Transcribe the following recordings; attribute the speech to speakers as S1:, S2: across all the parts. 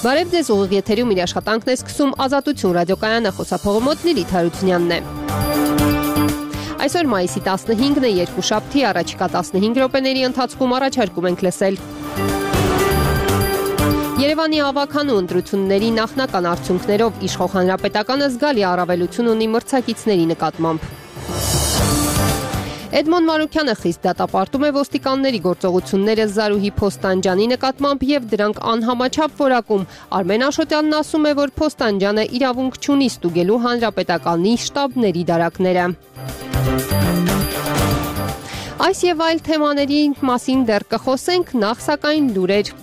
S1: Բարև ձեզ, ուղիղ եթերում իր աշխատանքն է սկսում Ազատություն ռադիոկայանը, խոսափողը մոտ Լիլիթ Հարությունյանն է։ Այսօր մայիսի 15-ն է, երկուշաբթի, առաջիկա 15 րոպեների ընթացքում առաջարկում ենք լսել Երևանի ավականու ընտրությունների նախնական արդյունքներով իշխող հանրապետականը զգալի առավելություն ունի մրցակիցների նկատմամբ։ Էդմոն Մանուկյանը խիստ դատապարտում է ոստիկանների գործողությունները Զարուհի Փոստանջյանի նկատմամբ եւ դրանք անհամաչափ որակում։ Արմեն Աշոտյանն ասում է, որ Փոստանջյանը իրավունք չունի ստուգելու հանրապետականի շտաբների դարակները։ Այս եւ այլ թեմաների մասին դեռ կխոսենք, նախ սակայն լուրեր։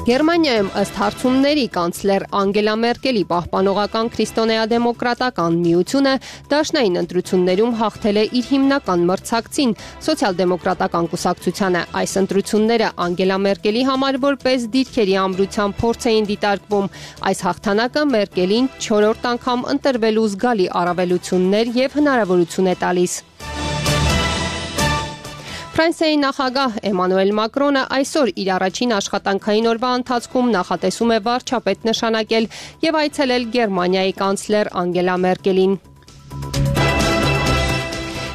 S1: Գերմանիայում ըստ հարցումների կանցլեր Անգելա Մերկելի պահպանողական քրիստոնեադեմոկրատական միությունը դաշնային ընտրություններում հաղթել է իր հիմնական մրցակցին սոցիալ-դեմոկրատական կուսակցությանը։ Այս ընտրությունները Անգելա Մերկելի համար որպես դիրքերի ամրության փորձ էին դիտարկվում։ Այս հաղթանակը Մերկելին 4-րդ անգամ ընտրվելու զգալի առավելություններ եւ հնարավորություն է տալիս։ Ֆրանսիայի նախագահ Էմանուել Մակրոնը այսօր իր առաջին աշխատանքային օրվա ընթացքում նախատեսում է վարչապետ նշանակել եւ այցելել Գերմանիայի կանցլեր Անգելա Մերկելին։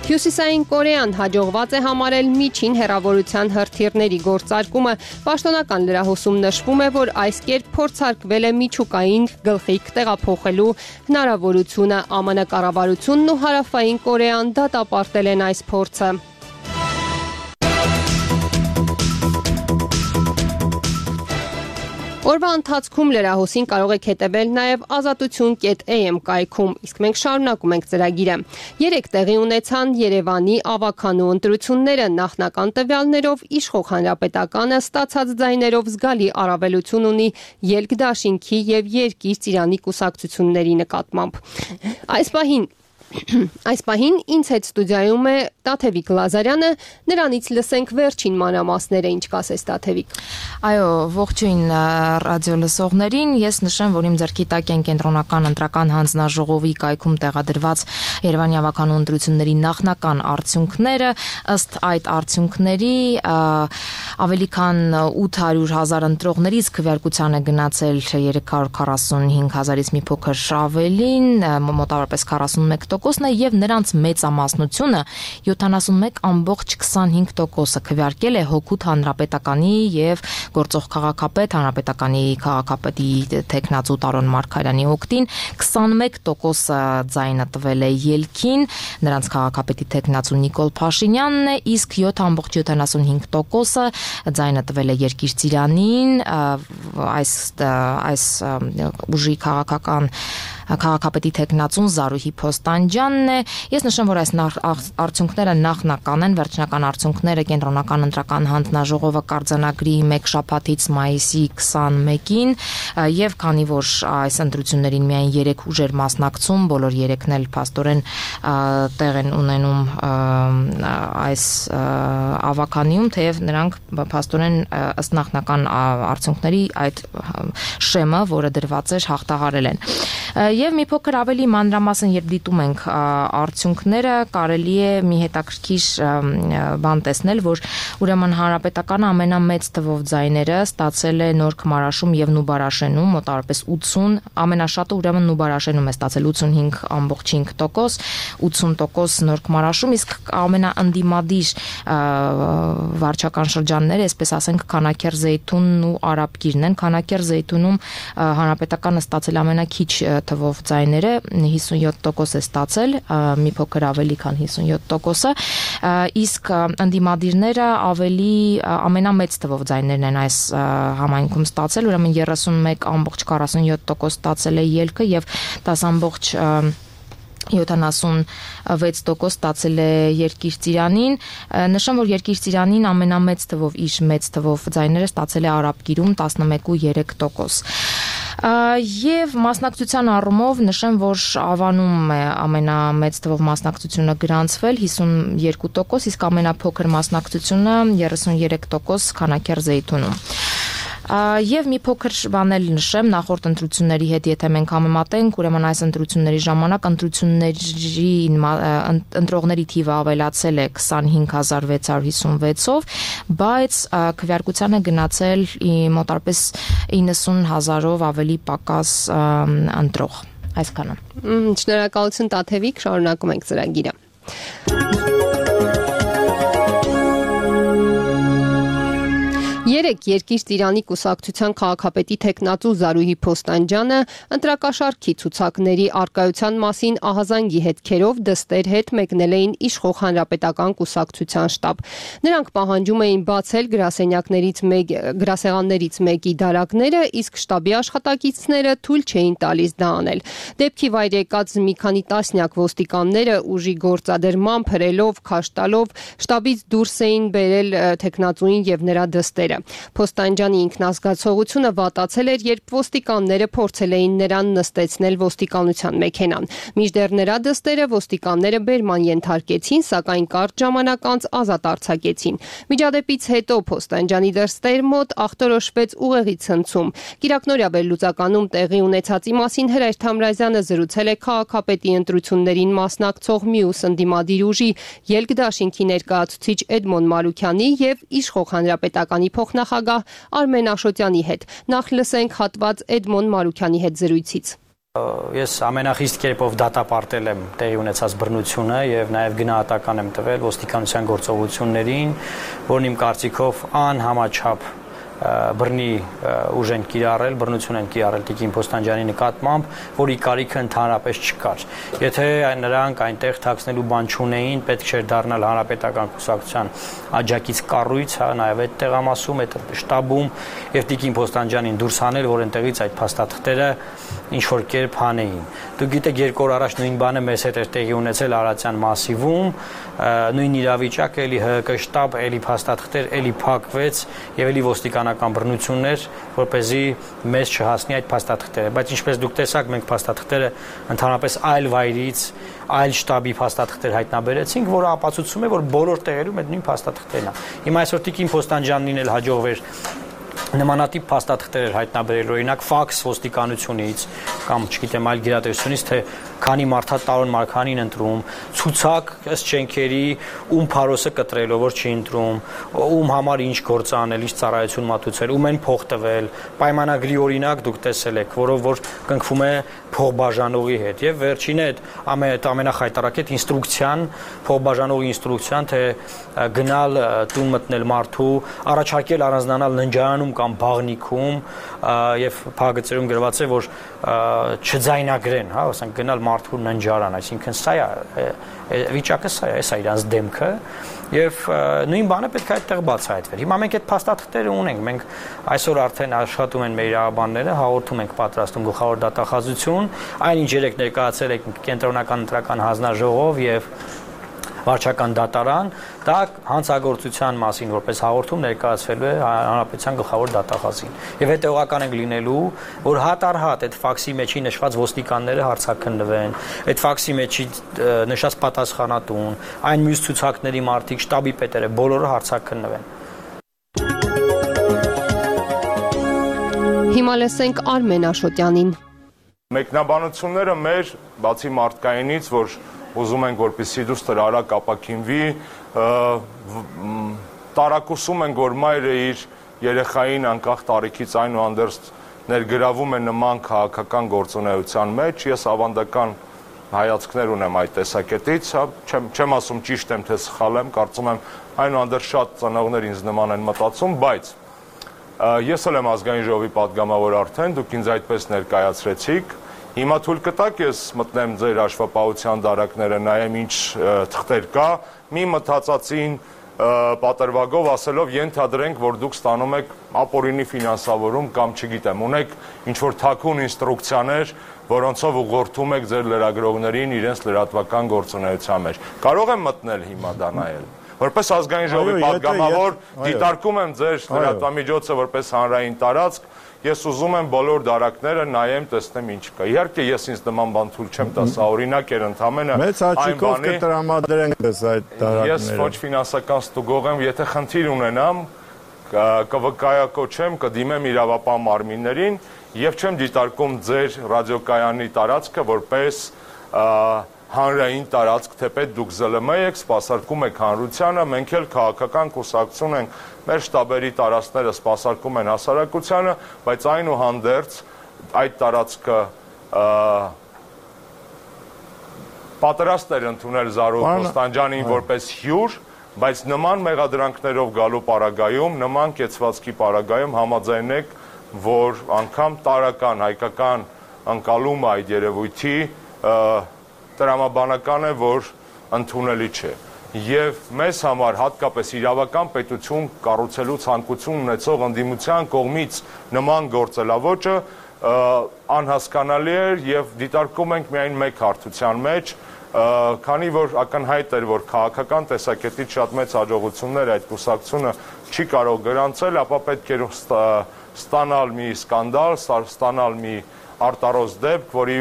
S1: Հյուսիսային Կորեան հաջողված է համարել միջին հեռավորության հրթիռների գործարկումը։ Պաշտոնական լրահոսում նշվում է, որ այս կերպ փորձարկվել է միջուկային գլխիկ տեղափոխելու հնարավորությունը։ ԱՄՆ կառավարությունն ու Հարավային Կորեան դատապարտել են այս փորձը։ Օրվա ընթացքում լրահոսին կարող եք հետևել նաև azatutun.am կայքում, իսկ մենք շարունակում ենք ծրագիրը։ Երեկ տեղի ունեցան Երևանի ավականու ընտրությունները, նախնական տվյալներով իշխող հանրապետականը ստացած ձայներով զգալի առավելություն ունի Ելք դաշինքի եւ Երկիր Ծիրանի կուսակցությունների նկատմամբ։ Այս պահին ինձ հետ ստուդիայում է Տաթևիկ Լազարյանը, նրանից լսենք վերջին մանրամասները, ինչ կասես Տաթևիկ։
S2: Այո, ողջույն ռադիոլսողներին, ես նշեմ, որ իմ ձեռքի տակ են կենտրոնական ընտրական հանձնաժողովի կայքում տեղադրված Երևանի ավականու ընտրությունների նախնական արդյունքները, ըստ այդ արդյունքների ավելի քան 800,000 ընտրողներից քվեարկության է գնացել 345,000-ից մի փոքր ավելին, մոտավորապես 41%-ն է եւ նրանց մեծամասնությունը 71.25% քվեարկել է Հօգուտ հանրապետականի եւ գործող քաղաքապետ հանրապետականի քաղաքապետի տեխնացու Տարոն Մարգարյանի օգտին, 21% ձայնը տվել է Ելքին, նրանց քաղաքապետի տեխնացու Նիկոլ Փաշինյանն է, իսկ 7.75% ձայնը տվել է Երկիր Ծիրանին, այս ուժի քաղաքապետի տեխնացուն Զարուհի Փոստանջյանն է։ Ես նշեմ, որ այս արդյունքները նախնական են, վերջնական արդյունքները կենտրոնական ընտրական հանձնաժողովը կարձանագրի 1 շաբաթից մայիսի 21-ին, եւ քանի որ այս ընտրություններին միայն 3 ուժեր մասնակցում, բոլոր 3-ն էլ փաստորեն տեղ են ունենում այս ավականիում, թեև նրանք փաստորեն ըստ նախնական արդյունքների այդ շեմը, որը դրված էր, հաղթահարել են։ Եվ մի փոքր ավելի մանրամասն երբ դիտում ենք արդյունքները, կարելի է մի հետաքրքիր բան տեսնել, որ ուրեմն հանրապետականը ամենամեծ թվով ձայները ստացել է Նոր Քմարաշում եւ Նուբարաշենում, մոտավորապես 80, ամենաշատը ուրեմն Նուբարաշենում է ստացել 85.5%, 80% Նոր Քմարաշում, իսկ ամենաընդդիմադիր վարչական շրջանները, այսպես ասենք, Քանաքեռ Զեյթունն ու Արաբկիրն են։ Քանաքեռ Զեյթունում հանրապետականը ստացել ամենաքիչ թվով ձայները 57% է ստացել, մի փոքր ավելի քան 57%-ը, իսկ ընդդիմադիրները ամենամեծ թվով ձայներն են այս համայնքում ստացել, ուրեմն 31.47% ստացել է Ելքը եւ 10.76% ստացել է Երկիր Ծիրանին։ Նշեմ, որ Երկիր Ծիրանին ամենամեծ թվով ձայները ստացել է Արաբկիրում 11.3%։ Եվ մասնակցության առումով նշեմ, որ Ավանում է ամենամեծ թվով մասնակցությունը գրանցվել 52%, իսկ ամենափոքր մասնակցությունը 33% Քանաքեռ Զեյթունում։ Եվ մի փոքր բան էլ նշեմ նախորդ ընտրությունների հետ, եթե մենք համեմատենք, ուրեմն այս ընտրությունների ժամանակ ընտրողների թիվը ավելացել է 25656-ով, բայց քվեարկությանը գնացել մոտարպես 90,000-ով ավելի պակաս ընտրող։ Այսքանը։
S1: Շնորհակալություն Տաթևիկ, շարունակում ենք ծրագիրը։ Երեկ Երկիր Ծիրանի կուսակցության քաղաքապետի թեկնածու Զարուհի Փոստանջյանը ընտրակաշառքի ցուցակների արկայության մասին ահազանգի հետքերով դստեր հետ մեկնել էին իշխող հանրապետական կուսակցության շտաբ։ Նրանք պահանջում էին բացել գրասեղաններից մեկի դարակները, իսկ շտաբի աշխատակիցները թույլ չէին տալիս դա անել։ Դեպքի վայր եկած մի քանի տասնյակ ոստիկանները ուժի գործադրմամբ, հրելով, քաշ տալով շտաբից դուրս էին բերել թեկնածուին եւ նրա դստերը։ Փոստանջյանի ինքնազգացողությունը վատացել էր, երբ ոստիկանները փորձել էին նրան նստեցնել ոստիկանության մեքենան։ Մինչդեռ նրա դստերը ոստիկանները բերման ենթարկեցին, սակայն կարճ ժամանակ անց ազատ արձակեցին։ Միջադեպից հետո Փոստանջյանի դստեր մոտ ախտորոշվեց ուղեղի ցնցում։ Կիրակնօրյա վերլուծականում տեղի ունեցածի մասին Հրայր Թամրազյանը զրուցել է քաղաքապետի ընտրություններին մասնակցող մյուս ընդդիմադիր ուժի Ելք դաշինքի ներկայացուցիչ Էդմոն Մարուքյանի եւ իշխող հանրապետականի փոխնախագահ Արմեն Աշոտյանի հետ։ Նախ լսենք հատված Էդմոն Մարուքյանի հետ զրույցից։
S3: Ես ամենախիստ կերպով դատապարտել եմ տեղի ունեցած բռնությունը եւ նաեւ գնահատական եմ տվել ոստիկանության գործողություններին, որն իմ կարծիքով անհամաչափ բռնի ուժ են կիրառել, բռնություն են կիրառել Տիկին Փոստանջյանի նկատմամբ, որի կարիքը ընդհանրապես չկար։ Եթե նրանք այնտեղ թաքցնելու բան չունեին, պետք չէր դառնալ հանրապետական կուսակցության աջակից կառույց, նաև այդ տեղամասում, այդ շտաբում եւ Տիկին Փոստանջյանին դուրս հանել, որ այնտեղից այդ փաստաթղթերը ինչ որ կերպ հանեին։ Դուք գիտեք, 2 օր առաջ նույն բանը մեզ հետ էր տեղի ունեցել Արարատյան մասիվում, նույն իրավիճակը, էլի ՀՀԿ շտաբ, էլի փաստաթղթեր, էլի փակվեց եւ էլի ոստիկանական բռնություններ, որպեսզի մեզ չհասնի այդ փաստաթղթերը, բայց ինչպես դուք տեսաք, մենք փաստաթղթերը ընդհանրապես այլ վայրից, այլ շտաբի փաստաթղթեր հայտնաբերեցինք, որը ապացուցում է, որ բոլոր տեղերում այդ նույն փաստաթղթերն են։ Հիմա այսօր Տիկին Փոստանջյանին էլ հաջողվեր նմանատիպ փաստաթղթեր հայտնաբերել, օրինակ ֆաքս ոստիկանությունից կամ չգիտեմ այլ գերատեսչությունից, թե քանի մարդա տարօր Մարգանին ընտրում, ցուցակ ըստ շենքերի, ում փարոսը կտրելով որ չի ընտրում, ում համար ինչ գործ անել, ինչ ծառայություն մատուցել, ում են փող տվել, պայմանագրի օրինակ դուք տեսել եք, որով որ կնքվում է փողբաժանողի հետ եւ վերջինը այդ ամենախայտարարակ այդ ինստրուկցիան, փողբաժանողի ինստրուկցիան, թե գնալ տուն մտնել մարդու, առաջարկել առանձնանալ ննջարանում կամ բաղնիքում եւ փակագծերում գրված է, որ չձայնագրեն, հա, ասենք գնալ մարդու ննջարան, այսինքն սա է վիճակը, սա է իրանց դեմքը եւ նույն բանը պետք է այդտեղ բացահայտվեր։ Հիմա մենք այդ փաստաթղթերը ունենք, մենք այսօր արդեն աշխատում են մեր իրավաբանները, հաղորդում ենք պատրաստում գլխավոր դատախազություն, այնինչ երեք ներկայացել եք կենտրոնական ընտրական հանձնաժողով եւ վարչական դատարան, դա հանցագործության մասին որպես հաղորդում ներկայացվելու է հանրապետության գլխավոր դատախազին։ Եվ հետևողական ենք լինելու, որ հատ-առհատ այդ ֆաքսի մեջի նշված ոստիկանները հարցաքննվեն, այդ ֆաքսի մեջի նշած պատասխանատուն, այն մյուս ցուցակների մարդիկ, շտաբի պետերը, բոլորը հարցաքննվեն։
S1: Հիմա լսենք Արմեն Աշոտյանին։
S4: Մեկնաբանությունները մեր բացի մարդկայինից, որ ուզում ենք, որպեսզի դուստր արագ ապաքինվի, տարակուսում ենք, որ մայրը իր երեխային անկախ տարիքից այնուհանդերձ ներգրավում է նման քաղաքական գործունեության մեջ, ես ավանդական հայացքներ ունեմ այդ տեսակետից, չեմ ասում ճիշտ եմ, թե սխալ եմ, կարծում եմ այնուհանդերձ շատ ծնողներ ինձ նման են մտածում, բայց ես էլ եմ ազգային ժողովի պատգամավոր արդեն, դուք ինձ այդպես ներկայացրեցիք, հիմա թույլ կտաք ես մտնեմ ձեր հաշվապահության դարակները, նայեմ ինչ թղթեր կա, մի մտածածին պատրվագով ասելով ենթադրենք, որ դուք ստանում եք ապօրինի ֆինանսավորում կամ չգիտեմ, ունեք ինչ-որ թաքուն ինստրուկցիաներ, որոնցով ուղղորդում եք ձեր լրագրողներին իրենց լրատվական գործունեության մեջ։ Կարող եմ մտնել հիմա դա նայել։ Որպես ազգային ժողովի պատգամավոր դիտարկում եմ ձեր լրատվամիջոցը որպես հանրային տարածք, ես ուզում եմ բոլոր դարակները նայեմ, տեսնեմ ինչ կա։ Իհարկե ես ինձ նման բան թույլ չեմ տա, սա օրինակ էր ընդամենը
S5: մեծ աչքով կտրամադրենք այս այդ դարակները։
S4: Ես ոչ ֆինանսական ստուգող եմ, եթե խնդիր ունենամ, կվկայակոչեմ, կդիմեմ իրավապահ մարմիններին եւ չեմ դիտարկում ձեր ռադիոկայանի տարածքը որպես հանրային տարածք, թեպետ դուք ԶԼՄ եք, սպասարկում եք հանրությանը, մենք էլ քաղաքական կուսակցություն ենք, մեր շտաբերի տարածքները սպասարկում են հասարակությանը, բայց այնուհանդերձ այդ տարածքը պատրաստ էր ընդունել Զարուհի Կոստանդյանին որպես հյուր, բայց նման մեղադրանքներով գալու պարագայում, նման կեցվածքի պարագայում համաձայնեք, որ անգամ տարական հայկական ընկալումը այդ երևույթի տրամաբանական է, որ ընդունելի չէ։ Եվ մեզ համար հատկապես իրավական պետություն կառուցելու ցանկություն ունեցող ընդդիմության կողմից նման գործելավոճը անհասկանալի էր եւ դիտարկում ենք միայն մեկ հարթության մեջ, քանի որ ակնհայտ էր, որ քաղաքական տեսակետից շատ մեծ հաջողություններ այդ կուսակցությունը չի կարող գրանցել, ապա պետք էր ստանալ մի սկանդալ, ստանալ մի արտարոց դեպք, որի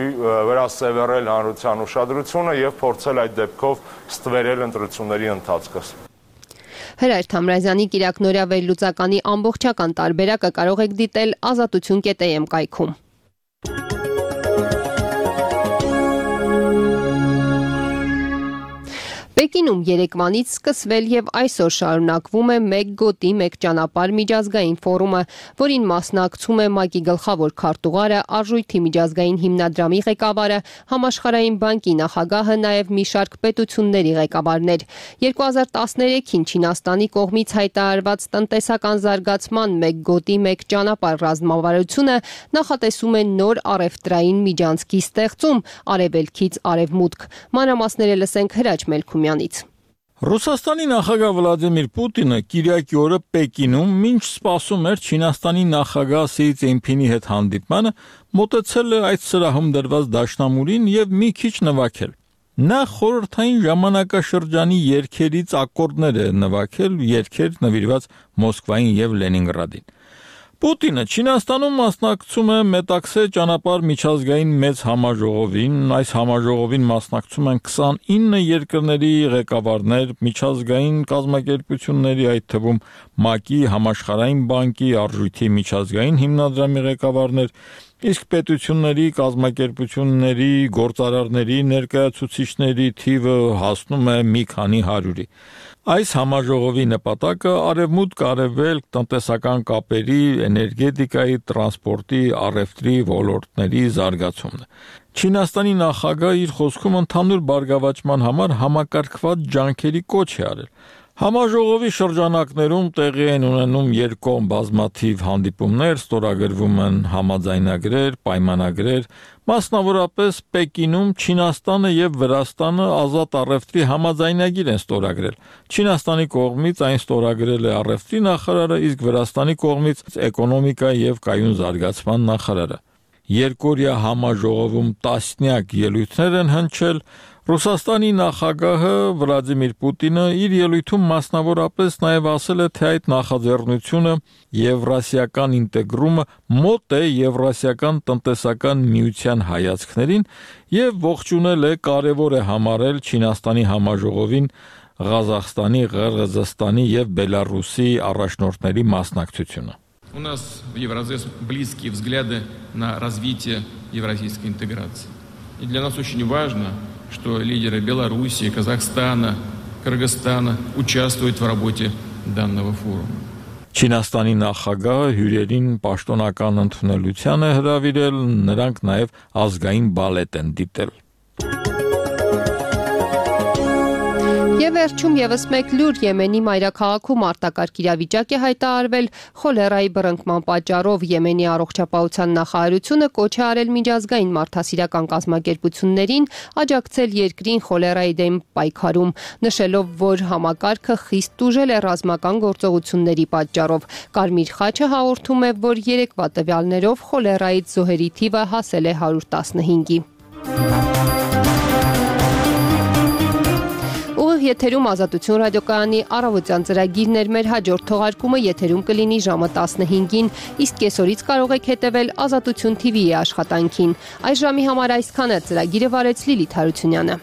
S4: վրա սևեռել հանրության ուշադրությունը եւ փորձել այդ դեպքով ստվերել ընտրությունների ընթացքը։
S1: Հրայր Թամրազյանի Կիրակնորյա վերլուծականի ամբողջական տարբերակը կարող եք դիտել azatutun.am կայքում։ Պեկինում երեկվանից սկսվել եւ այսօր շարունակվում է մեկ գոտի մեկ ճանապարհ միջազգային ֆորումը, որին մասնակցում է ՄԱԿ-ի գլխավոր քարտուղարը, Արժույթի միջազգային հիմնադրամի ղեկավարը, Համաշխարհային բանկի նախագահը, նաեւ մի շարք պետությունների ղեկավարներ։ 2013-ին Չինաստանի կողմից հայտարարված տնտեսական զարգացման մեկ գոտի մեկ ճանապարհ ռազմավարությունը նախատեսում է նոր առևտրային միջանցքի ստեղծում արևելքից արևմուտք։ Մանրամասները լսենք Հրաչ Մելքումյան։
S5: Ռուսաստանի նախագահ Վլադիմիր Պուտինը Կիրակի օրը Պեկինում մինչ սպասում էր Չինաստանի նախագահ Սի Ցզինփինի հետ հանդիպմանը, մոտեցել է այդ սրահում դրված դաշնամուրին եւ մի քիչ նվագել։ Նա խորհրդային ժամանակաշրջանի երգերից ակորդներ է նվագել, երգեր նվիրված Մոսկվային եւ Լենինգրադին։ Պուտինը Չինաստանում մասնակցում է Մետաքսե ճանապարհ միջազգային մեծ համաժողովին, այս համաժողովին մասնակցում են 29 երկրների ղեկավարներ, միջազգային կազմակերպությունների, այդ թվում ՄԱԿ-ի, Համաշխարհային բանկի, Արժույթի միջազգային հիմնադրամի ղեկավարներ, իսկ պետությունների, կազմակերպությունների, գործարարների, ներկայացուցիչների թիվը հասնում է մի քանի հարյուրի։ Այս համաժողովի նպատակը արևմուտք-արևելք տնտեսական կապերի, էներգետիկայի, տրանսպորտի, առևտրի ոլորտների զարգացումն է։ Չինաստանի նախագահը իր խոսքում ընդհանուր բարգավաճման համար համակարգված ջանքերի կոչ է արել։ Համաժողովի շրջանակներում տեղի են ունենում երկկողմ բազմաթիվ հանդիպումներ, ստորագրվում են համաձայնագրեր, պայմանագրեր, մասնավորապես Պեկինում Չինաստանը եւ Վրաստանը ազատ առևտրի համաձայնագիր են ստորագրել։ Չինաստանի կողմից այն ստորագրել է առևտրի նախարարը, իսկ Վրաստանի կողմից էկոնոմիկայի եւ կայուն զարգացման նախարարը։ Երկօրյա համաժողովում տասնյակ ելույթներ են հնչել։ Ռուսաստանի նախագահը Վլադիմիր Պուտինը իր ելույթում մասնավորապես նաև ասել է, թե այդ նախաձեռնությունը եվրասիական ինտեգրումը մոտ է Եվրասիական տնտեսական միության հայացքներին եւ ողջունել է, կարևոր է համարել Չինաստանի համաժողովին Ղազախստանի, Ղырգызստանի եւ Բելարուսի առաջնորդների մասնակցությունը։
S6: У нас в Евразес близкие взгляды на развитие евразийской интеграции. И для нас очень важно, что лидеры Белоруссии, Казахстана, Кыргызстана участвуют в работе данного форума.
S5: Չինաստանի նախագահը հյուրերին պաշտոնական ընդունելության է հրավիրել, նրանք նաև ազգային բալետ են դիտել։
S1: Եվ վերջում եւս մեկ լուր Եմենի մայրաքաղաքում արտակարգ իրավիճակ է հայտարարվել խոլերայի բռնկման պատճառով Եմենի առողջապահության նախարարությունը կոչ է արել միջազգային մարդասիրական կազմակերպություններին աջակցել երկրին խոլերայի դեմ պայքարում, նշելով, որ համակարգը խիստ տուժել է ռազմական գործողությունների պատճառով։ Կարմիր խաչը հաղորդում է, որ երեկվա տվյալներով խոլերայից զոհերի թիվը հասել է 115-ի։ Եթերում Ազատություն ռադիոկայանի առավոտյան ծրագիրն էր, մեր հաջորդ թողարկումը եթերում կլինի ժամը 15-ին, իսկ կեսօրից կարող եք հետևել Ազատություն TV-ի աշխատանքին։ Այս ժամի համար այսքանը, ծրագիրը վարեց Լիլիթ Հարությունյանը։